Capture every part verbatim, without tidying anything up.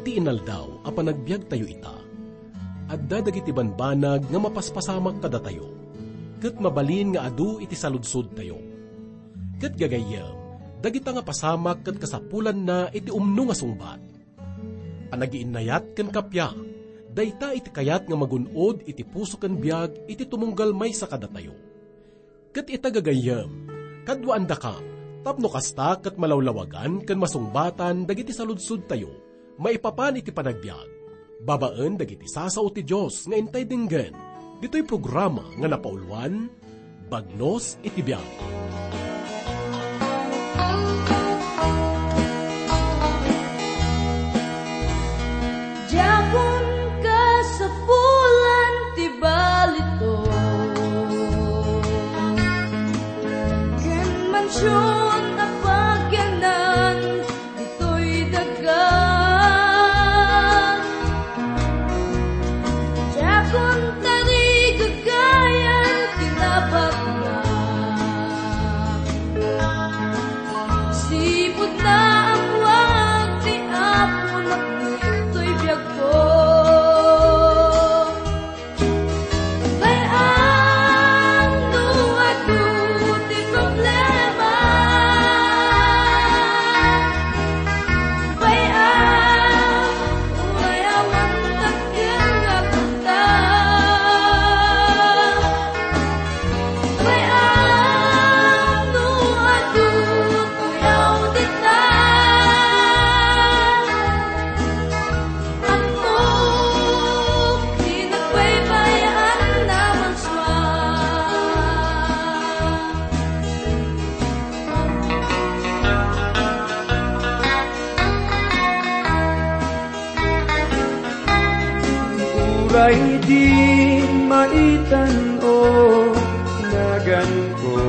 Iti inaldaw a panagbiagtayo ita, adda dagiti banbanag nga mapaspasamak kadatayo, ket mabalin nga adu iti saludsodtayo. Ket gagayyem, dagita nga pasamak ket kasapulanna iti umno nga sungbat. Panagiinnayat ken kappia, dayta iti kayat nga magun-od iti puso ken biag iti tumunggal maysa kadatayo. Ket ita gagayyem, kaduaandakam, tapno kasta ket malawlawagan ken masungbatan dagiti saludsodtayo maipapan iti panagbiag, babaen dagiti sasao ti Dios nga intay denggen, ditoy programa nga napauluan, Bagnos iti Biag. Diakon kasapulan ti balito, ken mansion a pagyanan ditoy daga. Diakon tarigagayan ti nabagna. Sipud naammoak ti Apo nakditoy biagko. Bay-am no adu ti problema. Bay-am, uray awan dakkel nga kwarta. Bay-am no adu ti uyaw dita. Ammok ti nagbaybay-an a marsua. Uray di maitan-o naganko,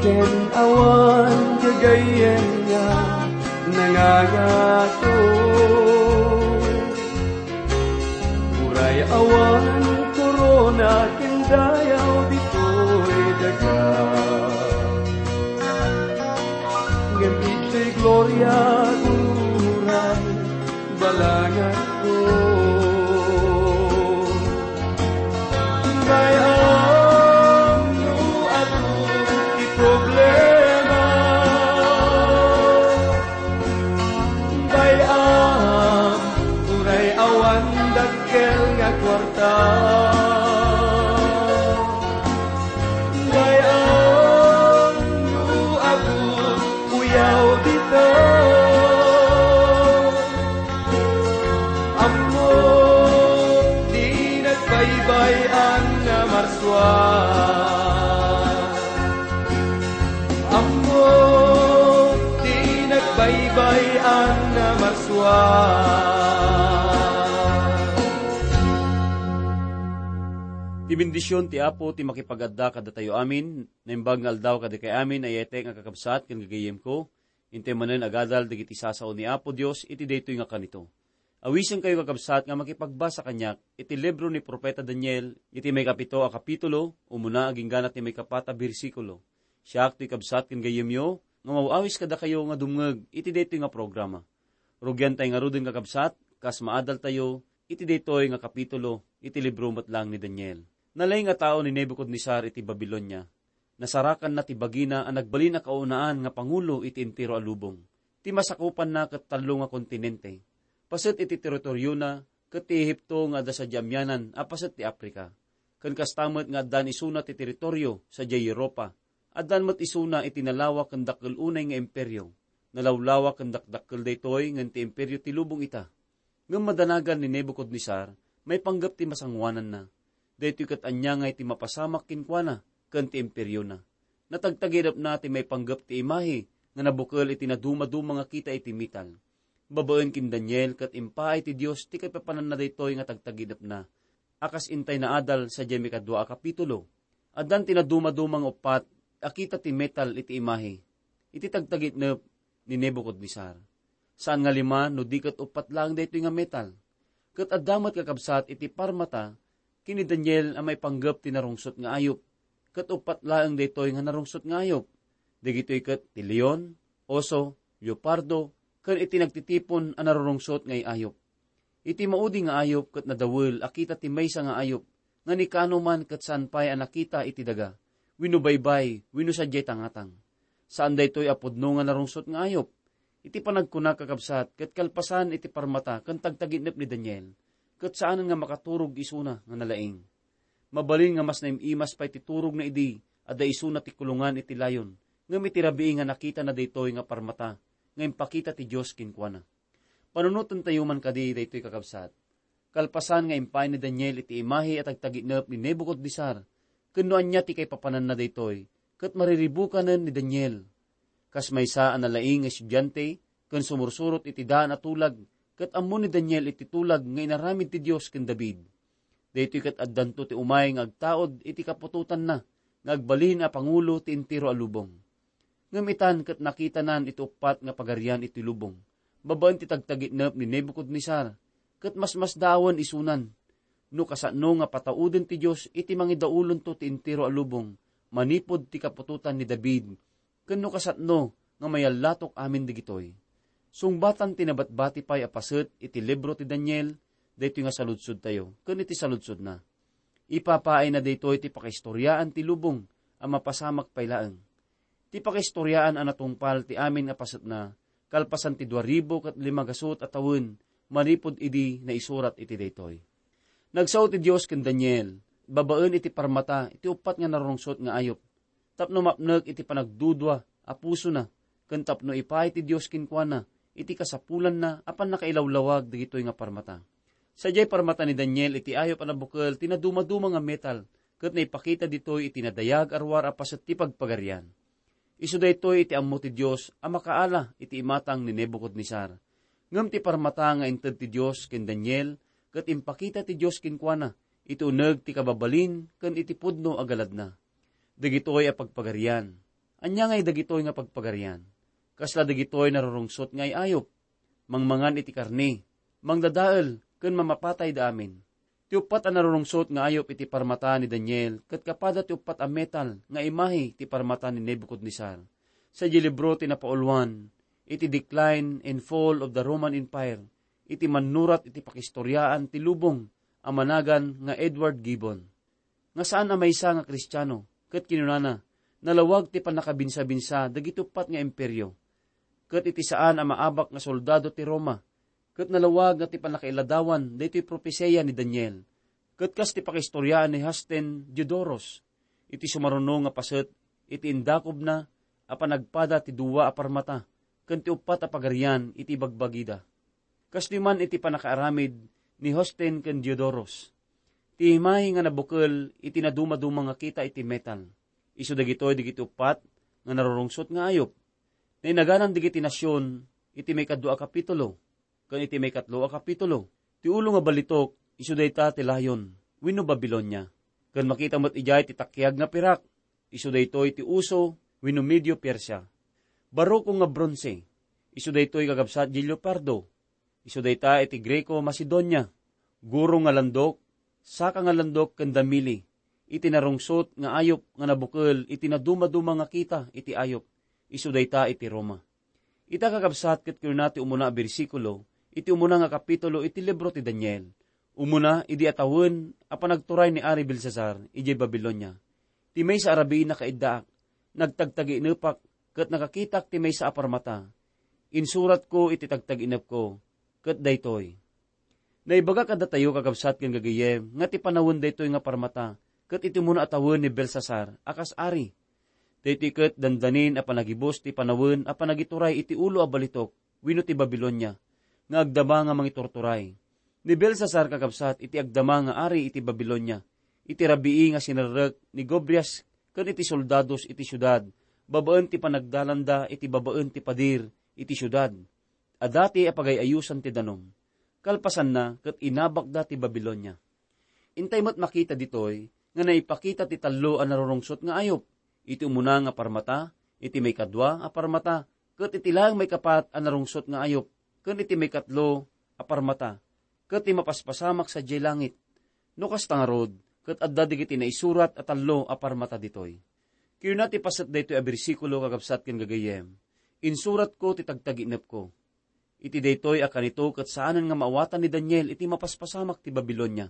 ken awan gagayyem nga nangangato. Uray awan korona ken dayaw ditoy daga, ngem iti gloria uray balanganko. Bay-am no adu ti problema. Bay-am, uray awan dakkel nga kuarta. Bay-am, no adu uyaw dita. Ammok ti nagbaybay-an a marsua. Ammok ti nagbaybay-an a marsua. Ti bendision ti Apo ti makipagadda kadatayo amin. Naimbag nga aldaw kadakay amin a yayatek nga kakabsat ken gagayyemko. Intay manen agadal dagiti sasao ni Apo Dios iti daytoy nga kanito. Awisenkayo, kakabsat, nga makipagbasa kaniak iti libro ni Profeta Daniel, iti maikapito a kapitulo, umuna agingga ti maikapat a bersikulo. Siak toy kabsat ken gayyemyo nga maw-awis kadakayo nga dumngeg iti daytoy nga programa. Rugiantay ngaruden, kakabsat, kas maadaltayo iti daytoy nga kapitulo iti libro met laeng ni Daniel. Nalaing a tao ni Nebucadnezzar iti Babilonia. Nasarakanna ti bagina a nagbalin a kaunaan nga pangulo iti entero a lubong. Ti masakupanna ket tallo nga kontinente. Paset iti teritoriona ket ti Ehipto nga adda sadiay amianan a paset ti Africa. Ken kasta met nga addan isuna ti teritorio sadiay Europa. Addan met isuna iti nalawa ken dakkel unay nga imperio. Nalawlawa ken dakdakkel daytoy ngem ti imperio ti lubong ita. Ngem madanagan ni Nebucadnezzar, maipanggep ti masangoananna. Daytoy ket aniangay ti mapasamak kenkuana ken ti imperiona. Natagtagidepna ti maipanggep ti imahe nga nabukel iti nadumaduma nga kita iti metal. Babaen ken Daniel ket impaay ti Dios ti kaipapananna daytoy nga tagtagidepna. A kas intay naadal sadiay maikadua a kapitulo, addan ti nadumaduma nga uppat a kita ti metal iti imahe. Iti tagtagidnep ni Nebucadnezzar. Saan nga lima no di ket uppat laeng daytoy nga metal. Ket adda met, kakabsat, iti parmata ken ni Daniel a maipanggep ti narungsot nga ayup. Ket uppat laeng daytoy nga narungsot nga ayup. Dagitoy ket ti leon, oso, leopardo, ken iti nagtitipon a narurungsot nga iayop. Iti maudi nga ayop ket nadawel a kita ti maysa nga ayop nga ni kano man ket saan pay a nakita iti daga wenno baybay wenno sadiay tangatang. Saan daytoy a pudno nga narungsot nga ayop. Iti panagkuna, kakabsat, ket kalpasan iti parmata ken tagtaginep ni Daniel, ket saanen nga makaturog isuna nga nalaing. Mabalin nga mas naim-imas pay ti turogna idi adda isuna ti kulongan iti layon, ngem iti rabii nga nakitana daytoy nga parmata nga impakita ti Dios kenkuana. Panunotentayo man kadi daytoy, kakabsat. Kalpasan nga impaay ni Daniel iti imahe a tagtaginep ni Nebuchadnezzar, ken no ania ti kaipapananna daytoy, ket mariribukanen ni Daniel. Kas maysa a nalaing nga estudiante ken sumursurot iti daan a tulag, ket ammo ni Daniel iti tulag nga inaramid ti Dios ken David. Daytoy ket addanto ti umay nga agtaud iti kaputotanna nga agbalin a pangulo ti entero a lubong. Ngem itan ket nakitanan iti uppat nga pagarian iti lubong, babaen ti tagtaginep ni Nebuchadnezzar, ket masmasdaawen isunan. No kasano nga patauden ti Dios iti mangidaulonto ti entero a lubong manipud ti kaputotan ni David, ken no kasano nga mayallatok amin dagitoy. Sungbatan ti nabatbati pay a paset iti libro ti Daniel, daytoy nga saludsodtayo, ken iti saludsodna. Ipapaayna daytoy ti pakaistoriaan ti lubong a mapasamak pay laeng. Ti pakaistoriaan a natungpal ti amin a pasetna, kalpasan ti dua ribu ket lima gasut a tawen, manipud idi naisurat iti daytoy. Nagsao ti Dios ken Daniel, babaen iti parmata iti uppat nga narungsot nga ayop, tapno mapnek iti panagdudua a pusona, ken tapno ipaay ti Dios kenkuana iti kasapulanna a pannakailawlawag dagitoy nga parmata. Sadiay parmata ni Daniel iti ayop a nabukel ti nadumaduma nga metal, ket naipakita ditoy iti nadayag a ruar a paset ti pagpagarian. Isu daytoy iti ammo ti Dios a makaala iti imatang ni Nebuchadnezzar. Ngem ti parmata nga inted ti Dios ken Daniel, ket impakita ti Dios kenkuana iti uneg ti kababalin ken iti pudno a galadna. Dagitoy a pagpagarian. Ania ngay dagitoy nga pagpagarian? Kasla dagitoy narurungsot nga ay-ayop, mangmangan iti karne, mangdadael, ken mamapatayda amin. Ti uppat a narurungsot nga ayop iti parmata ni Daniel ket kapada ti uppat a metal nga imahe ti parmata ni Nebuchadnezzar. Sadiay libro ti napauluan, iti Decline and Fall of the Roman Empire, iti mannurat iti pakistoriaan ti lubong a managan nga Edward Gibbon, nga saan a maysa nga Kristiano, ket kinunana, nalawag ti pannakabinsabinsa dagiti uppat nga imperio, ket iti saan a maabak nga soldado ti Roma, ket nalawag nga ti pannakailadawan daytoy propesia ni Daniel, ket kas ti pakaistoriaan ni Hasten Diodorus, iti sumaruno nga paset iti indakopna a panagpada ti dua a parmata ken ti uppat a pagarian iti bagbagida. Kastoy man iti pannakaaramid ni Hosten ken Diodorus. Ti imahe nga nabukel iti nadumaduma nga kita iti metal. Isu dagitoy dagiti uppat nga narurungsot nga ayop. Nainaganan dagiti nasion iti maikadua a kapitulo ken iti maikatlo a kapitulo. Ti ulo nga balitok, isu dayta ti layon wenno Babilonia. Ken makita met idiay ti takiag nga pirak. Isu daytoy ti uso wenno Medio Persia. Baroko nga bronse. Isu daytoy kagabsat di leopardo. Isu dayta iti Greco Macedonia. Guro nga landok, saka nga landok ken damili. Iti narungsot nga ayop nga nabukel iti nadumaduma nga kita iti ayop. Isu dayta iti Roma. Ita, kakabsat, ket kuna ti umuna a bersikulo iti umuna nga kapitulo iti libro ti Daniel. Umuna, idi a tawen a panagturay ni Ari Belsasar idiay Babilonia, ti maysa a rabii nakaiddaak, nagtagtaginepak, ket nakakitak ti maysa a parmata. Insuratko iti tagtaginepko, ket daytoy. Naibaga kadatayo, kakabsat ken gagayyem, nga ti panawen daytoy nga parmata ket iti umuna a tawen ni Belsasar a kas ari. Daytoy ket dandanin a panagibus ti panawen a panagituray iti ulo a balitok wenno ti Babilonia nga agdama nga mangiturturay. Ni Belsasar, kakabsat, iti agdama nga ari iti Babilonia, iti rabii nga sinerrek ni Gobrias ken iti soldados iti siudad, babaen ti panagdalanda iti babaen ti padir iti siudad. A dati a pagay-ayosan ti danum. Kalpasanna, ket inabakda ti Babilonia. Intay met makita ditoy nga naipakita ti tallo a narurungsot nga ayop. Iti umuna nga parmata, iti maikadua a parmata, ket iti laeng maikapat a narungsot nga ayop, ken iti maikatlo a parmata, ket ti mapaspasamak sadiay langit. No kasta ngarud, ket adda dagiti naisurat a tallo a parmata ditoy. Kuna ti paset daytoy a bersikulo, kakabsat ken gagayyem, "Insuratko ti tagtaginepko." Iti daytoy a kanito ket saanen nga maawatan ni Daniel iti mapaspasamak ti Babilonia.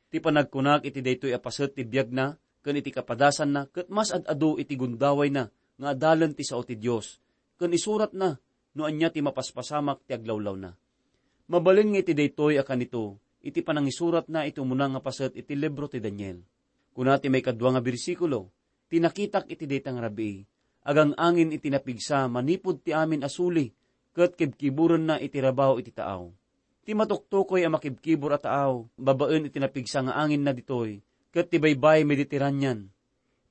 Ti panagkunak iti daytoy a paset ti biagna ken iti kapadasanna ket mas ad-adu iti gundawayna nga adalen ti sao ti Dios, ken isuratna no ania ti mapaspasamak ti aglawlawna. Mabalin nga iti daytoy a kanito, iti panangisuratna iti umuna nga paset iti libro ti Daniel. Kuna ti maikadua nga bersikulo, "Ti nakitak iti dayta nga rabii, agang-angin iti napigsa manipud ti amin a suli, ket kibkiburenna iti rabaw iti taaw." Ti matuktukoy a makibkibor a taaw babaen iti napigsa nga anginna ditoy, ket ti baybay Mediterranean.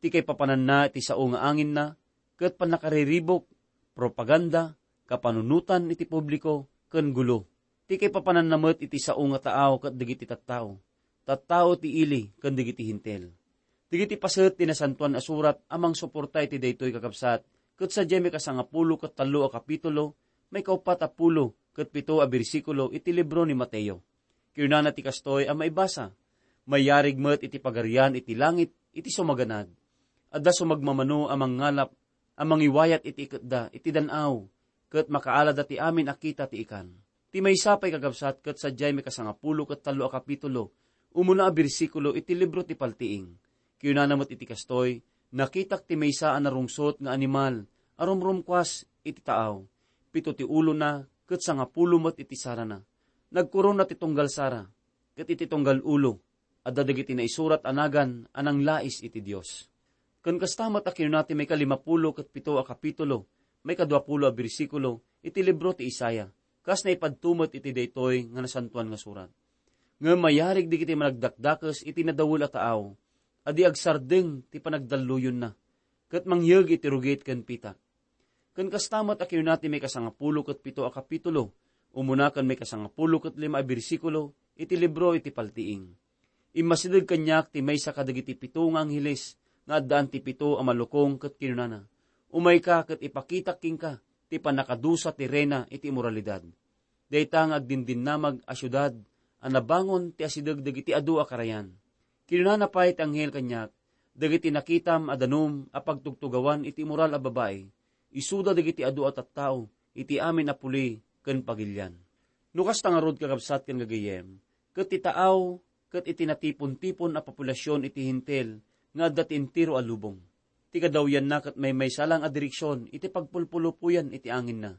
Ti kaipapananna iti sao nga anginna, ket pannakariribuk, propaganda, kapanunotan iti publiko, ken gulo. Ti kaipapananna met iti sao nga taaw ket dagiti tattao. Tattao ti ili ken dagiti Hentil. Dagiti paset ti Nasantoan a Surat a mangsuporta iti daytoy, kakabsat, ket sadiay maikasangapulo ket tallo a kapitulo, maikauppat a pulo ket pito a bersikulo iti libro ni Mateo. Kinunana ti kastoy a maibasa, "Mayarig met iti Pagarian iti langit iti sumaganad. Adda sumagmamano a mangngalap a mangiwayat iti iketda iti dan-aw, ket makaalada ti amin a kita ti ikan." Ti maysa pay, kakabsat, ket sadiay maikasangapulo ket tallo a kapitulo, umuna a bersikulo iti libro ti Paltiing. Kinunana met iti kastoy, "Nakitak ti maysa a narungsot nga animal a rumrumkuas iti taaw. Pito ti ulona ket sangapulo met iti sarana. Nagkorona ti tunggal sara, ket iti tunggal ulo, adda dagiti naisurat a nagan a nanglais iti Dios." Ken kasta met a kinuna ti maikalimapulo ket pito a kapitulo, maikaduapulo a bersikulo iti libro ti Isaiah, kas naipadto met iti daytoy nga Nasantoan nga Surat. Ngem mayarig dagiti managdakdakes iti nadawel a taaw, a di agsardeng ti panagdalluyonna, ket mangyeg iti rugit ken pitak. Ken kasta met a kinuna ti maikasangapulo ket pito a kapitulo, umuna ken maikasangapulo ket lima a bersikulo iti libro iti Paltiing. Immasideg kaniak ti maysa kadagiti pito nga angheles nga addaan ti pito a malukong ket kinunana, "Umayka ket ipakitak kenka ti pannakadusa ti reyna iti imoralidad, dayta nga agdindinnamag a siudad a nabangon ti asideg dagiti adu a karayan." Kinunana pay ti anghel kaniak, "Dagiti nakitam a danum a pagtugtugawan iti immoral a babai, isuda dagiti adu a tattao iti amin a puli ken pagilian." No kasta ngarud, kakabsat ken gagayyem, ket ti taaw ket iti natipon-tipon a populasion iti Hentil nga adda ti entero a lubong. Ti kadawyanna ket maymaysa lang a direksion iti pagpulpulupoyan iti anginna.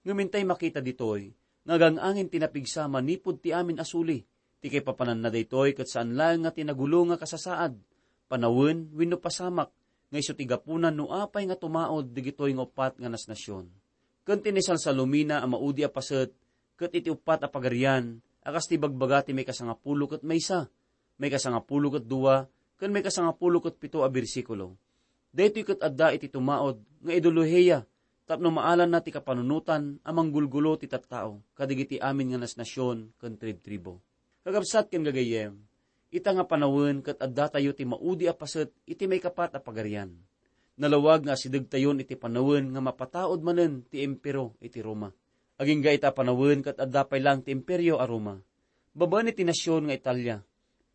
Ngem intay makita ditoy nga agang-angin ti napigsa manipud ti amin a suli. Ti kaipapananna daytoy ket saan laeng nga ti nagulo nga kasasaad, panawen wenno pasamak, nga isu ti gapuna no apay nga tumaud dagitoy nga uppat nga nasnasion. Ken ti naisalsalumina a maudi a paset ket iti uppat a pagarian a kas ti ibagbaga ti maikasangapulo ket maysa, maikasangapulo ket dua, ken maikasangapulo ket pito a bersikulo. Daytoy ket adda iti tumaud nga ideolohiya tapno maalanna ti kapanunotan a manggulgulo ti tattao kadagiti amin nga nasnasion ken tribtribo. Kakabsat ken gagayyem, ita nga panawen ket addatayo ti maudi a paset iti maikapat a pagarian. Nalawag nga asidegtayon iti panawen nga mapataud manen ti Empero iti Roma. Agingga ita panawen ket adda pay laeng ti Imperio a Roma. Babaen iti nasion nga Italia,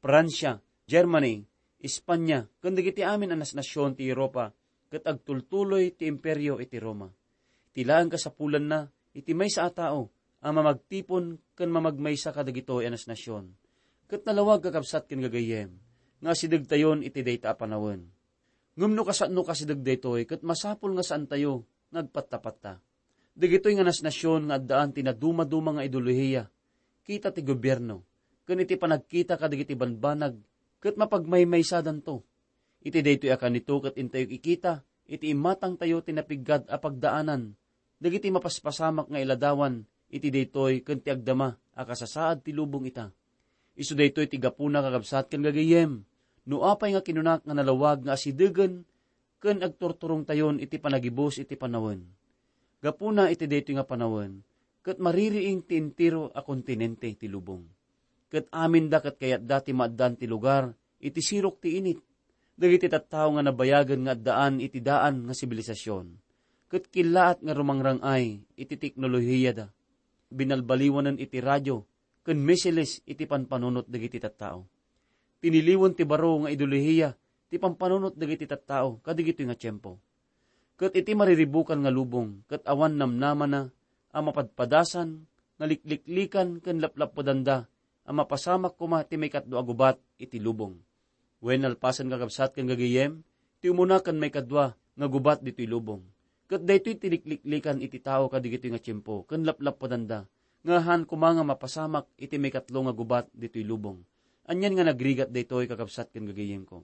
Francia, Germany, Espanya, ken dagiti amin a nasnasion ti Europa ket agtultuloy ti Imperio iti Roma. Iti laeng kasapulanna iti maysa a tao a mamagtipon ken mamagmaysa kadagitoy a nasnasion. Ket nalawag, kakabsat ken gagayyem, nga asidegtayon iti dayta a panawen. Ngem no kasano kasideg daytoy, ket masapul nga saantayo nga agpattapatta. Dagitoy nga nasnasion nga addaan ti nadumaduma nga ideolohiya, kita ti gobierno, ken iti panagkita kadagiti banbanag, ket mapagmaymaysadanto. Iti daytoy a kanito ket intayo ikita iti imatangtayo ti napiggad a pagdaanan dagiti mapaspasamak nga iladawan iti daytoy ken ti agdama a kasasaad ti lubong ita. Isu daytoy ti gapuna, kakabsat ken gagayyem, no apay nga kinunak nga nalawag nga asidegen ken agturturongtayon iti panagibus iti panawen. Gapuna iti daytoy nga panawen, ket maririing ti entero a kontinente ti lubong. Ket aminda ket kayatda ti maaddaan ti lugar iti sirok ti init. Dagiti tattao nga nabayagen nga addaan iti daan nga sibilisasyon, ket killaat nga rumangrang-ay iti teknolohiyada. Binalbaliwanen iti radio ken misiles iti panpanunot dagiti tattao. Tiniliwen ti baro nga ideolohiya ti panpanunot dagiti tattao kadagitoy nga tiempo. Ket iti mariribukan nga lubong, ket awan namnamana a mapadpadasan, nalikliklikan ken laplapudanda a mapasamak koma ti maikatlo a gubat iti lubong. Wen, nalpasen, kakabsat ken gagayyem, ti umuna ken maikadua nga gubat ditoy lubong. Ket daytoy ti likliklikan iti tao kadigitoy nga tiempo ken laplapudanda, nga haan koma nga mapasamak iti maikatlo nga gubat ditoy lubong. Anian nga nagrigat daytoy, kakabsat ken gagayyemko?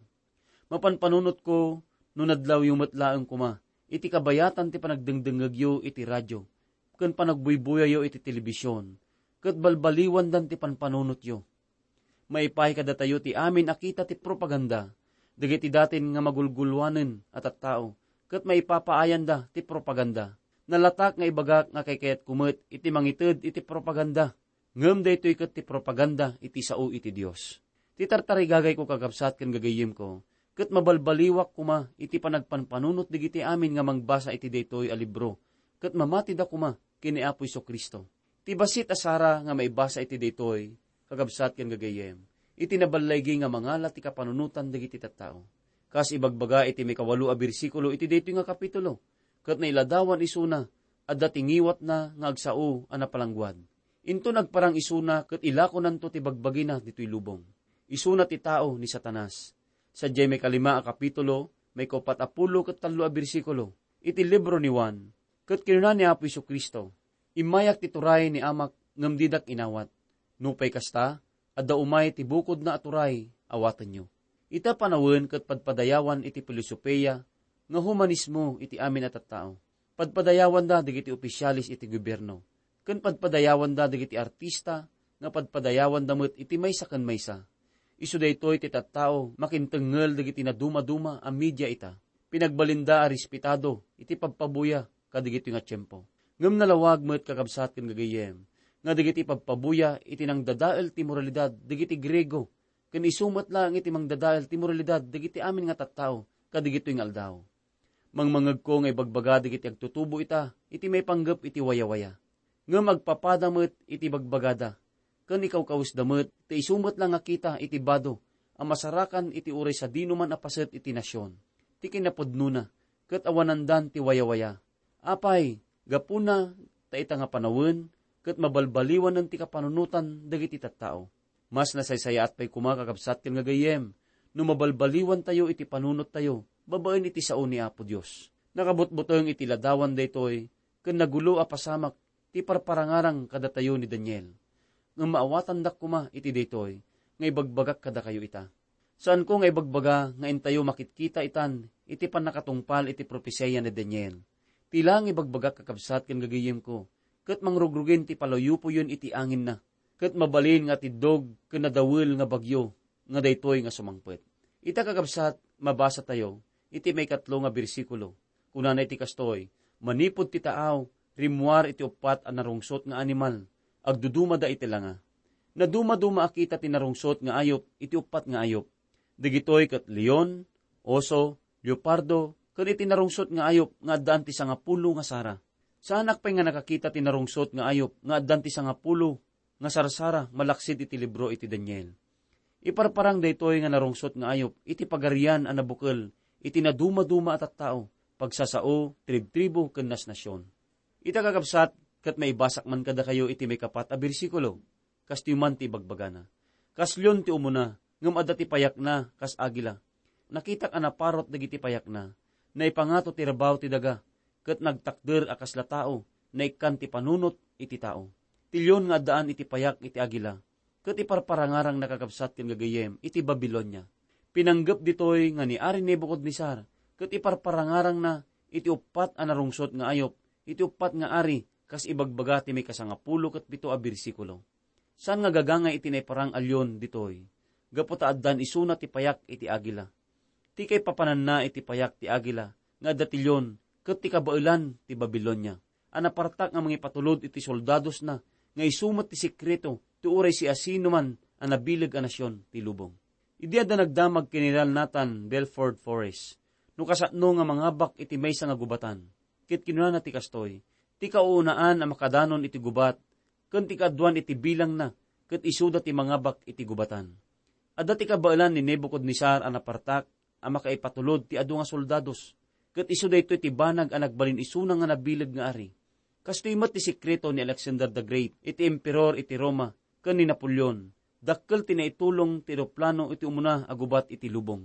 Mapanpanunotko no nadlawyo met laeng koma iti kabayatan ti panagdengdengngegyo iti radio ken panagbuybuyayo iti telebision, ket balbaliwandan ti panpanunotyo. Maipay kadatayo ti amin a kita ti propaganda dagiti datin nga magulgulwanen a tattao, ket maipapaayanda ti propaganda. Nalatak nga ibagak nga kaykayatko met iti mangited iti propaganda, ngem daytoy ket ti propaganda iti sao iti Dios. Ti tartarigagayko, kakabsat ken gagayyemko, ket mabalbaliwak koma iti panagpanpanunot dagiti amin nga mangbasa iti daytoy a libro, ket mamatida koma ken ni Apo Jesu-Cristo. Ti bassit a sara nga maibasa iti daytoy, kakabsat ken gagayyem, iti naballaygi nga mangala ti kapanunotan dagiti tattao. Kas ibagbaga iti maikawalo a bersikulo iti daytoy nga kapitulo, ket nailadawan isuna, adda ti ngiwatna nga agsao a napalangguad. Inton agparang isuna ket ilakonanto ti bagbagina ditoy lubong. Isuna ti tao ni Satanas. Sadiay maikalima a kapitulo, maikaupat a pulo ket tallo a bersikulo iti libro ni Juan, ket kinuna ni Apo Jesu-Cristo, "Immayak ti turay ni Amak ngem didak inawat. Nupay kasta, adda umay ti bukodna a turay, awatenyo." Ita panawen ket padpadayawan iti filosofia nga humanismo iti amin a tattao. Padpadayawanda dagiti opisialis iti gobierno, ken padpadayawanda dagiti artista nga padpadayawanda met iti maysa ken maysa. Isu daytoy ti tattao makintengngel dagiti nadumaduma a media ita. Pinagbalinda a respetado iti pagpabuya kadigitoy nga tiempo. Ngem nalawag met, kakabsat ken gagayyem, nga dagiti pagpabuya iti nangdadael ti moralidad dagiti Griego, ken isu met laeng iti mangdadael ti moralidad dagiti amin nga tattao kadigitoy nga aldaw. Mangmangegko nga ibagbaga dagiti agtutubo ita iti maipanggep iti wayawaya. Ngem agpapada met iti bagbagada, ken ikawkawesda met ta isu met la nga kita iti bado a masarakan iti uray sadinoman a paset iti nasion, ti kinapudnona, ket awanandan ti wayawaya. Apay, gapuna ta ita nga panawen ket mabalbaliwanen ti kapanunotan dagiti tattao. Mas nasaysayaat pay koma, kakabsat ken gagayyem, no mabalbaliwantayo iti panunottayo babaen iti sao ni Apo Dios. Nakabutbuteng iti ladawan daytoy ken nagulo a pasamak ti parparangarang kadatayo ni Daniel. Ngem maawatandak koma iti daytoy nga ibagbagak kadakayo ita. Saanko nga ibagbaga nga intayo makitkita itan iti pannakatungpal iti propesia ni Daniel. Ti la nga ibagbagak, kakabsat ken gagayyemko, ket mangrugrugen ti paluyupoyen iti angenna, ket mabalin nga atiddog ken nadawel nga bagyo nga daytoy nga sumangpet. Ita, kakabsat, mabasatayo iti maikatlo nga bersikulo. Kunana iti kastoy, "Manipud ti taaw, rimmuar iti uppat a narungsot nga animal, agdudumada iti langa." Nadumaduma a kita ti narungsot nga ayup iti uppat nga ayup. Dagitoy ket leon, oso, leopardo, ken iti narungsot nga ayup nga addaan ti sangapulo nga sara. Saanak pay nga nakakita ti narungsot nga ayup nga addaan ti sangapulo nga sarsara malaksid iti libro iti Daniel. Iparparang daytoy nga narungsot nga ayup iti pagarian a nabukel iti nadumaduma a tattao, pagsasao, tribtribo, ken nasnasion. Ita, kakabsat, ket maibasak man kadakayo iti maikapat a bersikulo. Kastoy man ti ibagbagana, "Kas leon ti umuna, ngem adda ti payakna kas agila. Nakitak a naparot dagiti payakna. Naipangato ti rabaw ti daga, ket nagtakder a kasla tao, naikkan ti panunot iti tao. Ti leon nga addaan iti payak iti agila, ket iparparangarang, nakakabsat ken gagayyem, iti Babilonia. Pinanggep ditoy nga ni Ari Nebucadnezzar, ket iparparangarangna iti uppat a narungsot nga ayup, iti uppat nga ari, kas ibagbaga ti maikasangapulo ket pito a bersikulo." Saan nga gagangay iti naiparang a leon ditoy, gapu ta addan isuna ti payak iti agila. Ti kaipapananna iti payak ti agila nga adda ti leon ket ti kabaelan ti Babilonia a napartak nga mangipatulod iti soldadosna nga isu met ti sekreto ti uray siasinoman a nabileg a nasion ti lubong. Idi adda nagdamag, General Nathan Bedford Forrest, no kasano nga mangabak iti maysa nga gubatan. Ket kinunana ti kastoy, "Ti kaunaan a makadanon iti gubat ken ti kaaduan iti bilangna ket isuda ti mangabak iti gubatan." Adda ti kabaelan ni Nebuchadnezzar a napartak a makaipatulod ti adu nga soldados, ket isu daytoy ti banag a nagbalin isuna nga nabileg nga ari. Kastoy met ti sekreto ni Alexander the Great, iti emperor iti Roma, ken ni Napoleon. Dakkel ti naitulong ti eroplano iti umuna a gubat iti lubong.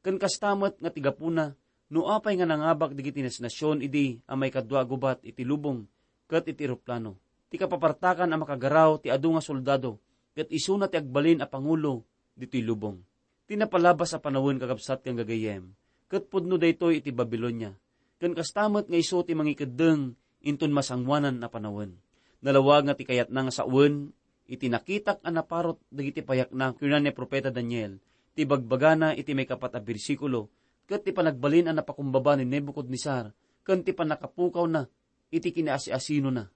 Ken kasta met nga ti gapuna, no apay nga nangabak dagiti nasnasion idi a maikadua a gubat iti lubong ket iti eroplano. Ti kapapartakan a makagaraw ti adu nga soldado, ket isuna ti agbalin a pangulo ditoy lubong. Ti napalabas a panawen, kakabsat ken gagayyem, ket pudno daytoy iti Babilonia. Ken kasta met nga isu ti mangikeddeng inton masangoanan a panawen. Nalawag nga ti kayatna nga sawen, iti nakitak a naparot dagiti payakna, kuna ni profeta Daniel, ti bagbagana iti maikapat a bersikulo, ket ti panagbalin a napakumbaba ni Nebuchadnezzar, ken ti pannakapukawna iti kinaasiasinona.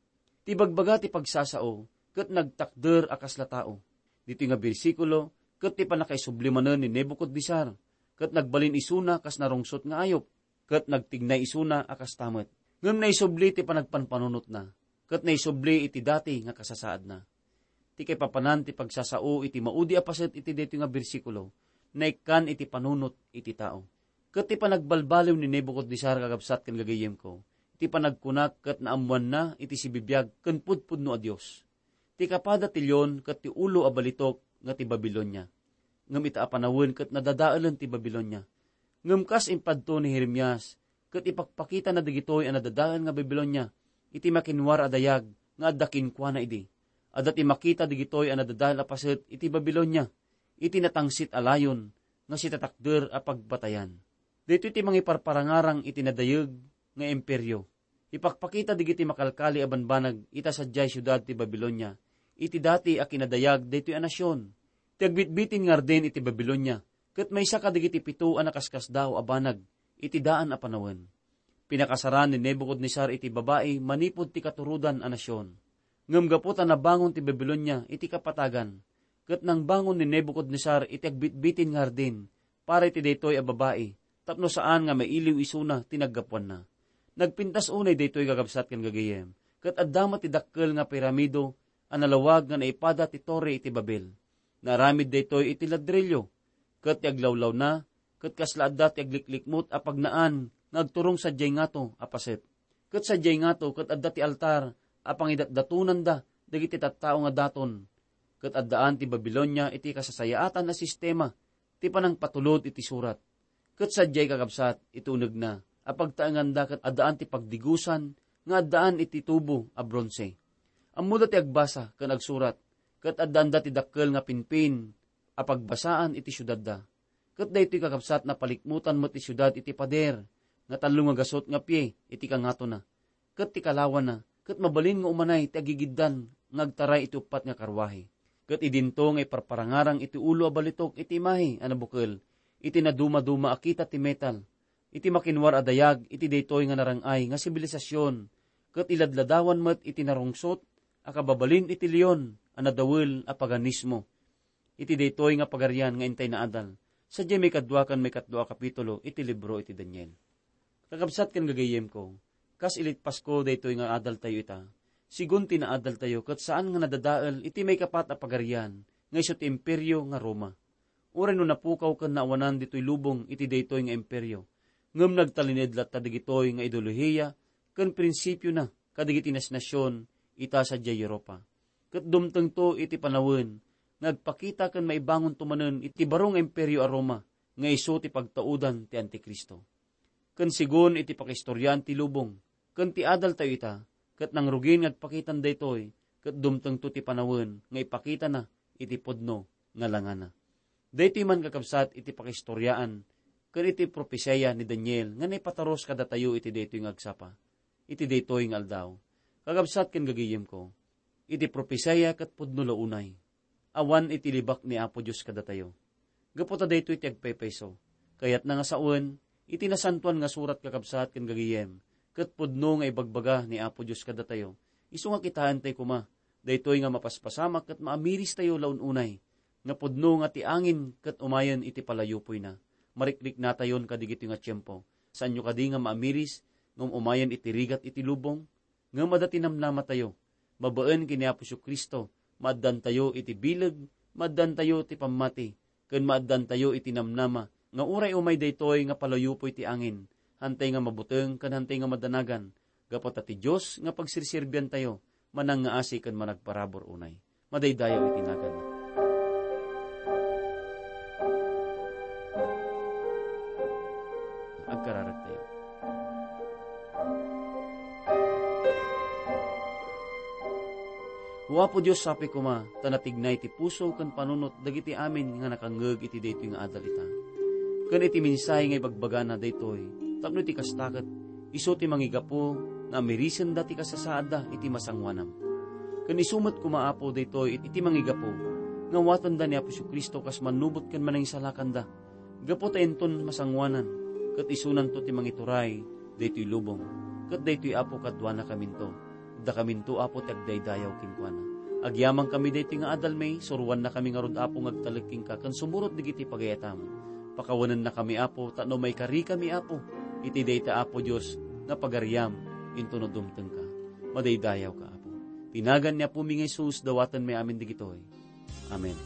Ti bagbaga ti pagsasao, ket nagtakder a kasla tao. Ditoy nga bersikulo, ket ti pannakaisubli manen ni Nebuchadnezzar, ket nagbalin isuna kas narungsot nga ayup, ket nagtignay isuna a kasta met. Ngem naisubli ti panagpanpanunotna, ket naisubli iti dati nga kasasaadna. Ti kaipapanan ti pagsasao iti maudi a paset iti daytoy nga bersikulo, naikkan iti panunot iti tao. Ket ti panagbalbaliw ni Nebuchadnezzar, kakabsat ken gagayyemko, iti panagkuna ket naammoanna iti sibibiag ken pudpudno a Dios. Ti kapada ti leon ket ti ulo a balitok nga ti Babilonia. Ngem ita a panawen ket nadadaelen ti Babilonia. Ngem kas impadto ni Jeremias, ket ipakpakitana dagitoy a nadadael nga Babilonia iti makinwar a dayag nga adda kenkuana idi. Adda ti makita dagitoy a nadadael a paset iti Babilonia, iti natangsit a layon nga sitatakder a pagbatayan. Daytoy ti mangiparparangarang iti nadayeg nga imperio. Ipakpakita dagiti makalkali a banbanag ita sadiay siudad ti Babilonia iti dati a kinadayag daytoy a nasion. Ti agbitbitin nga ardin iti Babilonia ket maysa kadagiti pito a nakaskasdaaw a banag iti daan a panawen. Pinakasaran ni Nebuchadnezzar iti babai manipud ti katurodan a nasion. Ngem gapu ta nabangon ti Babilonia iti kapatagan, ket nangbangon ni Nebuchadnezzar iti agbitbitin nga ardin para iti daytoy a babai, tapno saan nga mailiw isuna ti naggapuanna. Nagpintas unay daytoy, kakabsat ken gagayyem, ket adda met ti dakkel nga piramido a nalawag nga naipada ti Torre iti Babel. Naaramid daytoy iti ladrillo, ket ti aglawlawna, ket kasla adda ti agliklikmut a pagnaan nga agturong sadiay ngato a paset. Ket sadiay ngato ket adda ti altar a pangidatdatonanda dagiti tattao nga daton. Ket addaan ti Babilonia iti kasasayaatan a sistema ti panangpatulod iti surat. Ket sadiay, kakabsat, iti unegna a pagtaenganda ket addaan ti pagdigusan nga addaan iti tubo a bronse. Ammoda ti agbasa ken agsurat, ket addaanda ti dakkel nga pinpin a pagbasaan iti siudadda. Ket daytoy, kakabsat, napalikmutan met ti siudad iti pader nga tallo nga gasut nga pie iti kangatona, ket ti kalawana, ket mabalin nga umanay ti agigiddan nga agtaray iti uppat nga karwahe. Ket idinto nga iparparangarang iti ulo a balitok iti imahe a nabukel iti nadumaduma a kita ti metal, iti makinwar a dayag iti daytoy nga narang-ay nga sibilisasyon, ket iladladawan met iti narungsot a kababalin iti leon a nadawel a paganismo. Iti daytoy nga pagarian nga intay naadal, sadiay maikadua ken maikatlo a kapitulo iti libro iti Daniel. Kakabsat ken gagayyemko, kas ilitpasko daytoy nga adaltayo ita, sigun ti naadaltayo ket saan nga nadadael iti maikapat a pagarian nga isu ti Imperio nga Roma. Uray no napukaw ken naawanan ditoy lubong iti daytoy nga imperio, ngem nagtalinaed latta dagitoy nga ideolohiya ken prinsipiona kadagiti nasnasion ita sadiay Europa. Ket dumtengto iti panawen nga agpakita ken maibangonto manen iti baro nga imperio a Roma nga isu ti pagtaudan ti Antikristo. Ken sigun iti pakaistoriaan ti lubong ken ti adaltayo ita, ket nangrugin nga agpakitan daytoy, ket dumtengto ti panawen nga ipakitana iti pudno nga langana. Daytoy man, kakabsat, iti pakaistoriaan ken iti propesia ni Daniel nga naipatarus kadatayo iti daytoy nga agsapa, iti daytoy nga aldaw. Kakabsat ken gagayyemko, iti propesia ket pudno la unay. Awan iti libak ni Apo Dios kadatayo. Gapu ta daytoy ti agpaypayso. Kayatna nga sawen, iti Nasantoan nga Surat, kakabsat ken gagayyem, ket pudno nga ibagbaga ni Apo Dios kadatayo. Isu nga kitaentay koma, daytoy nga mapaspasamak ket maamiristayo la un-unay, nga pudno nga ti angin ket umayen iti palayupoyna. Marikriknatayon kadagitoy nga tiempo. Saanyo kadi nga maamiris ngem umayen iti rigat iti lubong? Ngem adda ti namnamatayo. Babaen ken ni Apo Jesu-Cristo, maaddantayo iti bileg, maaddantayo ti pammati, ken maaddantayo iti namnama nga uray umay daytoy nga palayupoy ti angin, hantay nga mabuteng ken hantay nga madanagan, gapu ta ti Dios nga pagserserbiantayo manangngaasi ken managparabur unay. Madaydayaw iti naganna. Agkararagtayo. O Apo Dios, sapay koma ta natignay ti puso ken panunot dagiti amin nga nakangngeg iti daytoy nga adal ita. Ken iti mensahe nga ibagbagana daytoy, tapno iti kasta ket isu ti mangigapu nga amirisenda ti kasasaadda iti masangoanam. Ken isu met koma, Apo, daytoy iti mangigapu nga awatenda ni Apo Jesu-Cristo kas mannubot ken maningsalakanda. Gapu ta inton masangoanan, ket isunanto ti mangituray daytoy lubong, ket daytoy, Apo, kaduanakaminto. Dakaminto, Apo, ti agdaydayaw kenkuana. Agyamankami daytoy nga adalmi, suroannakami ngarud, Apo, nga agtalek kenka ken sumurot dagiti pagayatam. Pakawanennakami, Apo, tapno maikarikami, Apo, iti dayta, Apo Dios, nga pagariam intono dumtengka. Madaydayawka, Apo. Ti nagan ni Apomi nga Jesus, dawatenmi amin dagitoy. Amen.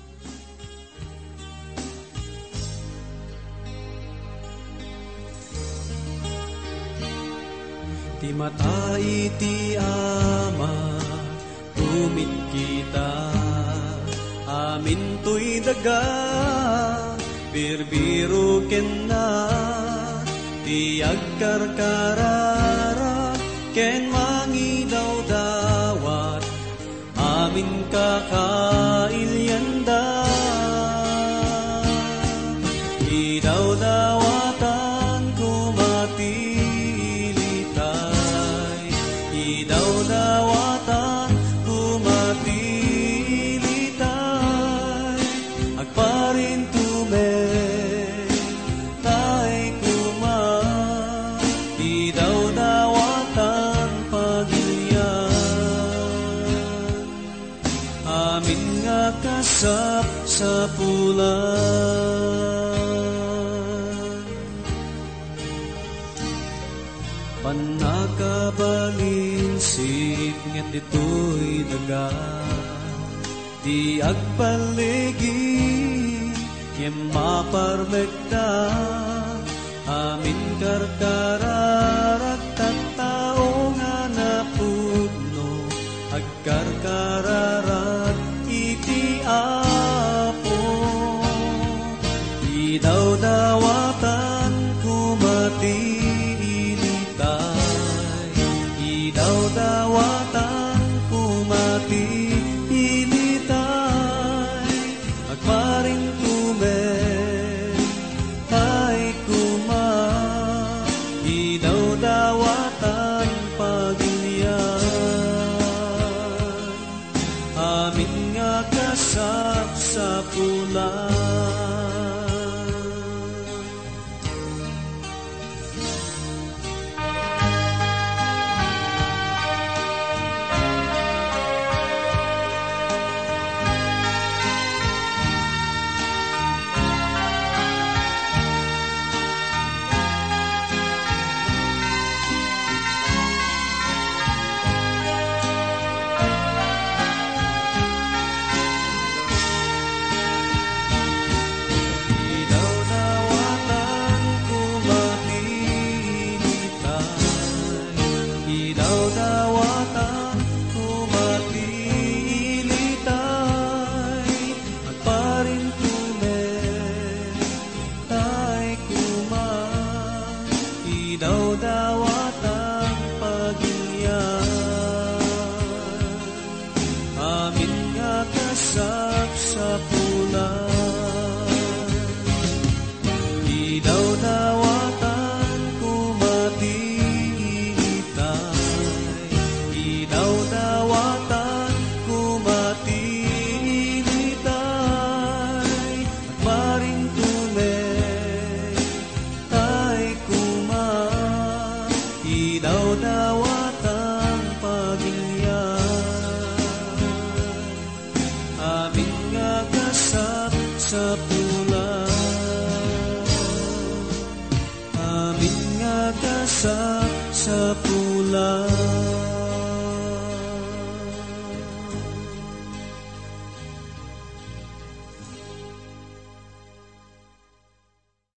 Ti mata iti Ama, tumitkita. Amintoy daga, birbiro kenna, ti agkarkararag ken mangidawdawat, amin kakailianda. Idawdawatan koma ti ilitay, idawdawatan koma ti ilitay, agparintumen tay koma, idawdawatan pagilian. Amin nga kasapsapulan. Pannakabalinsit nga ditoy daga, ti agpalligi ngem maparmekta. Amin karkararag tattao nga napudno, agkarkararag iti Apo. Idawdawatan koma ti ilitay, idawdawatan koma ti ilitay, agparintumen tay koma, idawdawatan pagilian. Amin nga kasapsapulan. Idawdawatan koma ti ilitay, idawdawatan koma ti ilitay, agparintumen tay koma, idawdawatan pagilian. Amin nga kasapsapulan. Idawdawatan koma ti ilitay, idawdawatan koma ti ilitay, agparintumen tay koma, idawdawatan pagilian. Amin nga kasapsapulan. Amin nga kasapsapulan.